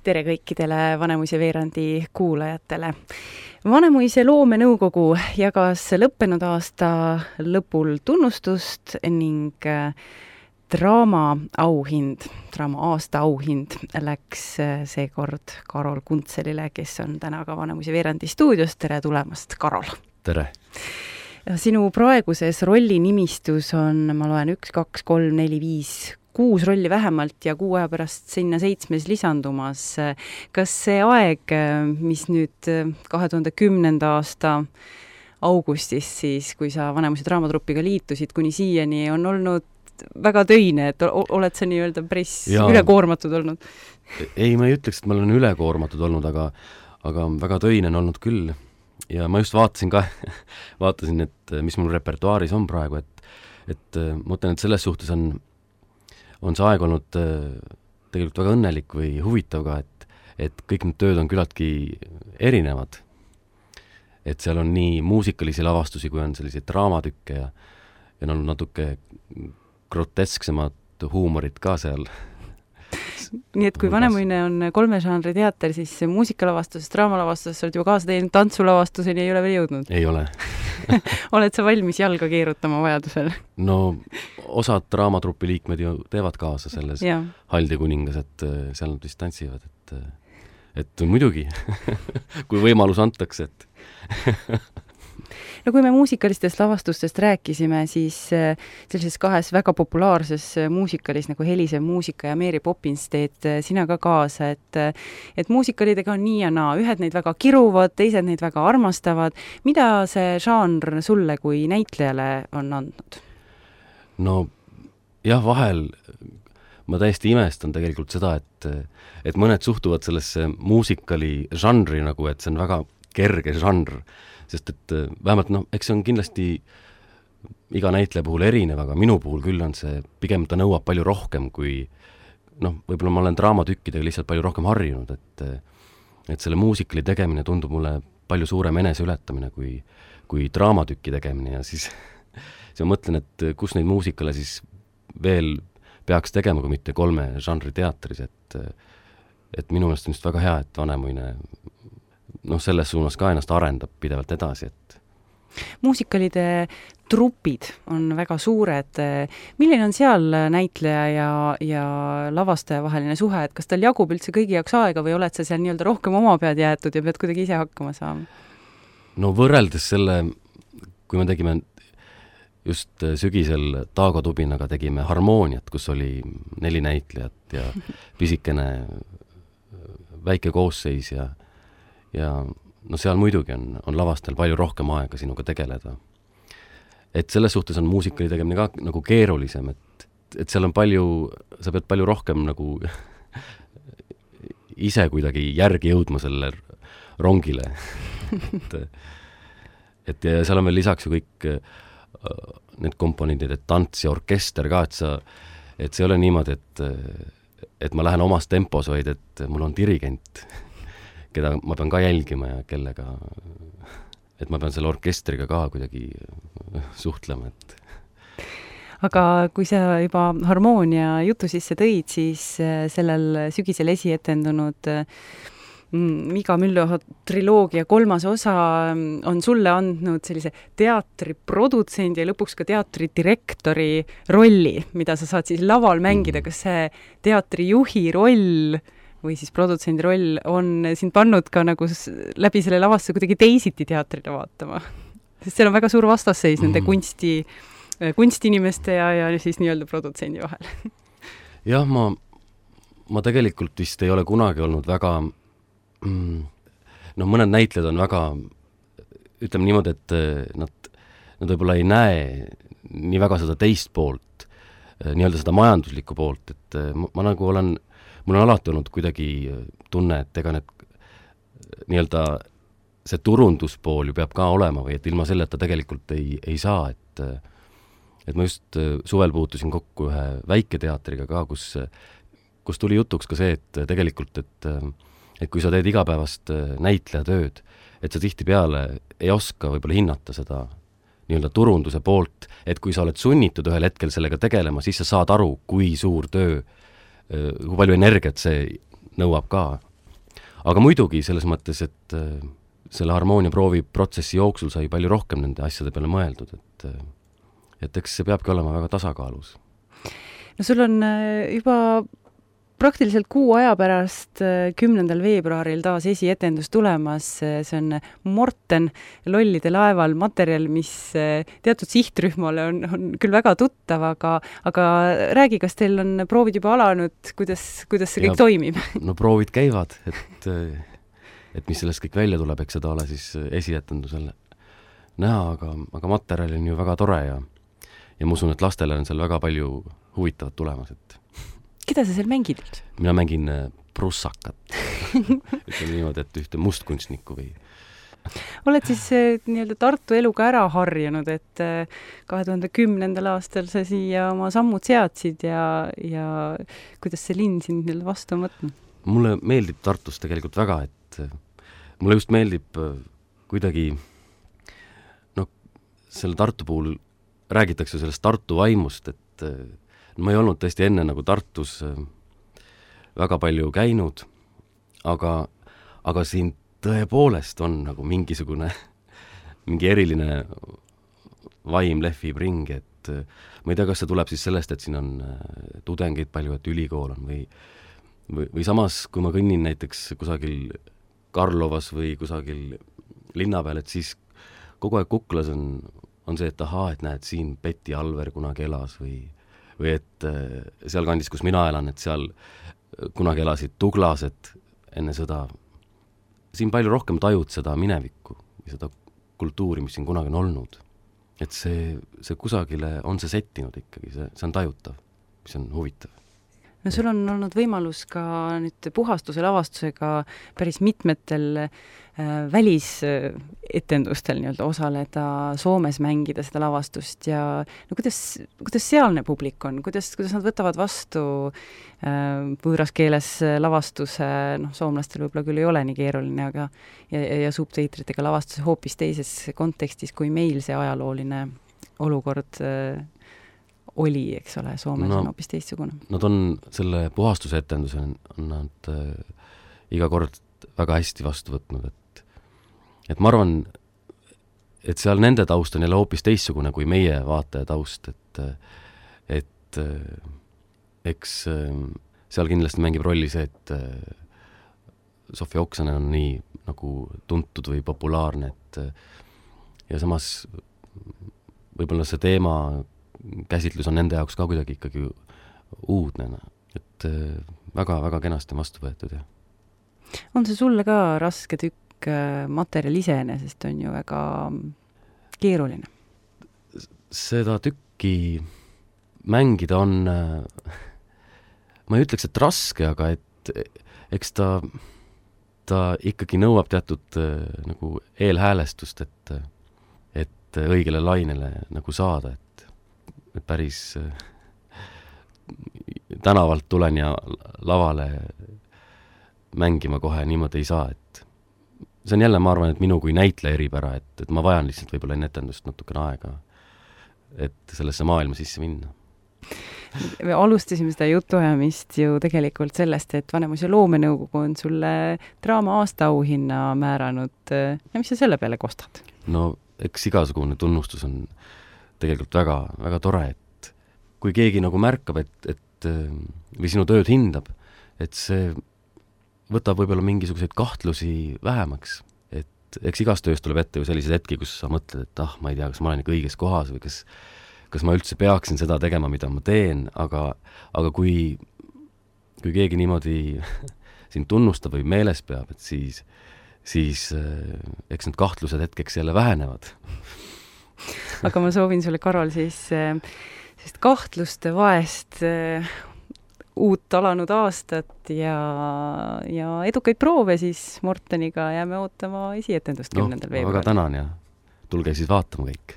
Tere kõikidele Vanemuise veerandi kuulajatele. Vanemuise loomenõukogu jagas lõppenud aasta lõpul tunnustust ning draama aasta auhind läks seekord Karol Kuntselile, kes on täna ka Vanemuise veerandi stuudios. Tere tulemast, Karol! Tere! Sinu praeguses rollinimistus on, ma loen, 1, 2, 3, 4, 5, 6 rolli vähemalt ja 6 aja pärast sinna 7 lisandumas. Kas see aeg, mis nüüd 2010. aasta augustis, siis kui sa Vanemuise draamatrupiga liitusid, kuni siiani on olnud väga töine, et oled sa nii-öelda päris ülekoormatud olnud? Ei, ma ei ütleks, et ma olen ülekoormatud olnud, aga väga töine on olnud küll. Ja ma just vaatasin, et mis mul repertuaaris on praegu, et ma mõtlen, et selles suhtes on see aeg olnud tegelikult väga õnnelik või huvitav ka, et kõik need tööd on küllaltki erinevad. Et seal on nii muusikalisi lavastusi, kui on selliseid draamatükke ja on natuke grotesksemat huumorit ka seal. Nii et kui Vanemuine on 3 žanri teater, siis muusikalavastus, draamalavastus, sa oled juba kaasa teinud, tantsulavastuseni ei ole veel jõudnud? Ei ole. Oled sa valmis jalga keerutama vajadusel? No, osad draamatrupi liikmed ju teevad kaasa selles Haldi kuningas, et seal nad vist tantsivad, et muidugi, kui võimalus antakse, et No kui me muusikalistest lavastustest rääkisime, siis sellises 2 väga populaarses muusikalis nagu Helisev muusika ja Mary Poppins teed sina ka kaasa, et muusikalidega on nii ja naa. Ühed neid väga kiruvad, teised neid väga armastavad. Mida see žanr sulle kui näitlejale on andnud? No jah, vahel ma täiesti imestan tegelikult seda, et mõned suhtuvad sellesse muusikali žanri nagu, et see on väga kerge žanr. Sest et vähemalt, eks see on kindlasti iga näitleja puhul erinev, aga minu puhul küll on see, pigem ta nõuab palju rohkem kui, võib-olla ma olen draamatükkidega lihtsalt palju rohkem harjunud, et selle muusikali tegemine tundub mulle palju suurem eneseületamine kui draamatükki tegemine ja siis ma mõtlen, et kus neid muusikale siis veel peaks tegema, kui mitte 3 žanri teatris, et minu meelest on just väga hea, et Vanemuine selles suunas ka ennast arendab pidevalt edasi, et muusikalide trupid on väga suured. Milline on seal näitleja ja lavastaja vaheline suhe, et kas tal jagub üldse kõigi jaoks aega või oled sa seal nii-öelda rohkem oma pead jäetud ja pead kuidagi ise hakkama saama? No võrreldes selle, kui me tegime just sügisel Taago Tubinaga tegime Harmooniat, kus oli 4 näitlejat ja pisikene väike koosseis ja seal muidugi on lavastel palju rohkem aega sinuga tegeleda. Et selles suhtes on muusikali tegemine ka nagu keerulisem, et seal on sa pead palju rohkem nagu ise kuidagi järgi jõudma selle rongile. et seal on veel lisaks ju kõik need komponendid, et tants ja orkester ka, et see ei ole niimoodi, et ma lähen omas tempos, vaid et mul on dirigent, keda ma pean ka jälgima ja kellega, et ma pean selle orkestriga ka kuidagi suhtlema, et Aga kui sa juba Harmoonia jutu sisse tõid, siis sellel sügisel esietendunud Miga Müllo triloogia 3. osa on sulle andnud sellise teatriprodutsendi ja lõpuks ka teatridirektori rolli, mida sa saad siis laval mängida. Kas see teatrijuhi roll või siis produtsendi roll on sind pannud ka nagu läbi selle lavasse kuidagi teisiti teatrile vaatama? Sest seal on väga suur vastasseis nende kunstinimeste ja siis nii-öelda produtsendi vahel. Jah, ma tegelikult vist ei ole kunagi olnud väga mõned näitlejad on väga, ütleme niimoodi, et nad võib-olla ei näe nii väga seda teist poolt, nii-öelda seda majanduslikku poolt, et ma nagu mul on alati olnud kuidagi tunne, et ega need nii-öelda see turunduspool ju peab ka olema või et ilma selleta tegelikult ei saa, et ma just suvel puutusin kokku ühe väiketeatriga ka, kus tuli jutuks ka see, et tegelikult, et kui sa teed igapäevast näitlejatööd, et sa tihtipeale ei oska võib-olla hinnata seda nii-öelda turunduse poolt, et kui sa oled sunnitud ühel hetkel sellega tegelema, siis sa saad aru, kui suur töö, kui palju energiat see nõuab ka, aga muidugi selles mõttes, et selle harmooniaproovi protsessi jooksul sai palju rohkem nende asjade peale mõeldud, et eks see peabki olema väga tasakaalus. No sul on juba praktiliselt kuu aja pärast 10. veebruaril taas esietendus tulemas, see on Morten Lollide laeval, materjal, mis teatud sihtrühmale on küll väga tuttav, aga räägi, kas teil on proovid juba alanud, kuidas see kõik toimib? No proovid käivad, et mis sellest kõik välja tuleb, eks seda ole siis esietendusel näha, aga materjal on ju väga tore ja ma usun, et lastele on seal väga palju huvitavat tulemas, et keda sa seal mängid? Mina mängin prussakat. Ütleme niimoodi, et ühte mustkunstnikku või... Oled siis nii-öelda Tartu eluga ära harjunud, et 2010. aastal sa siia oma sammud seadsid ja kuidas see linn sind nii-öelda vastu on võtnud? Mulle meeldib Tartus tegelikult väga, et mulle just meeldib kuidagi selle Tartu puhul räägitakse sellest Tartu vaimust, et ma ei olnud tõesti enne nagu Tartus väga palju käinud, aga siin tõepoolest on nagu mingi eriline vaim lehvib ringi, et ma ei tea, kas see tuleb siis sellest, et siin on tudengeid palju, et ülikool on või samas, kui ma kõnnin näiteks kusagil Karlovas või kusagil linna peal, et siis kogu aeg kuklas on see, et ahaa, et näed, siin Betty Alver kunagi elas või et seal kandis, kus mina elan, et seal kunagi elasid tuglased enne sõda. Siin palju rohkem tajud seda minevikku või seda kultuuri, mis siin kunagi on olnud. Et see kusagile on see settinud ikkagi, see on tajutav, mis on huvitav. No sul on olnud võimalus ka nüüd Puhastuse lavastusega päris mitmetel välisetendustel nii-öelda osaleda, Soomes mängida seda lavastust ja no kuidas sealne publik on, kuidas nad võtavad vastu võõras keeles lavastuse, soomlastel võib-olla küll ei ole nii keeruline, aga ja subtiitritega lavastuse hoopis teises kontekstis, kui meil see ajalooline olukord oli, eks ole, Soomes on hoopis teistsugune. Nad on selle Puhastuse etenduse on nad iga kord väga hästi vastu võtnud, et ma arvan, et seal nende taust on jälle hoopis teistsugune kui meie vaataja taust, et eks seal kindlasti mängib rolli see, et Sofia Oksanen on nii nagu tuntud või populaarne, ja samas võib-olla see teema käsitlus on nende jaoks ka kuidagi ikkagi uudne, et väga-väga kenasti on vastu võetud. Ja. On see sulle ka raske tükk materjal iseenesest on ju väga keeruline? Seda tükki mängida on, ma ei ütleks, et raske, aga et eks ta ikkagi nõuab teatud nagu eelhäälestust, et õigele lainele nagu saada, et päris tänavalt tulen ja lavale mängima kohe niimoodi ei saa, et see on jälle, ma arvan, et minu kui näitleja eripära, et ma vajan lihtsalt võib-olla enne etendust natukene aega, et sellesse maailma sisse minna. Me alustasime seda jutuajamist ju tegelikult sellest, et Vanemuise loomenõukogu on sulle draama aastaauhinna määranud ja mis sa selle peale kostad? No eks igasugune tunnustus on tegelikult väga, väga tore, et kui keegi nagu märkab, et või sinu tööd hindab, et see võtab võib-olla mingisuguseid kahtlusi vähemaks, et eks igast tööst tuleb ette ju sellised hetki, kus sa mõtled, et ma ei tea, kas ma olen ikka õiges kohas või kas ma üldse peaksin seda tegema, mida ma teen, aga kui keegi niimoodi sind tunnustab või meeles peab, et siis eks need kahtlused hetkeks jälle vähenevad. Aga ma soovin sulle, Karol, siis kahtluste vaest uut alanud aastat ja edukaid proove siis Morteniga jääme ootama esietendust 10. veebruaril. Väga tänan ja tulge siis vaatama kõik.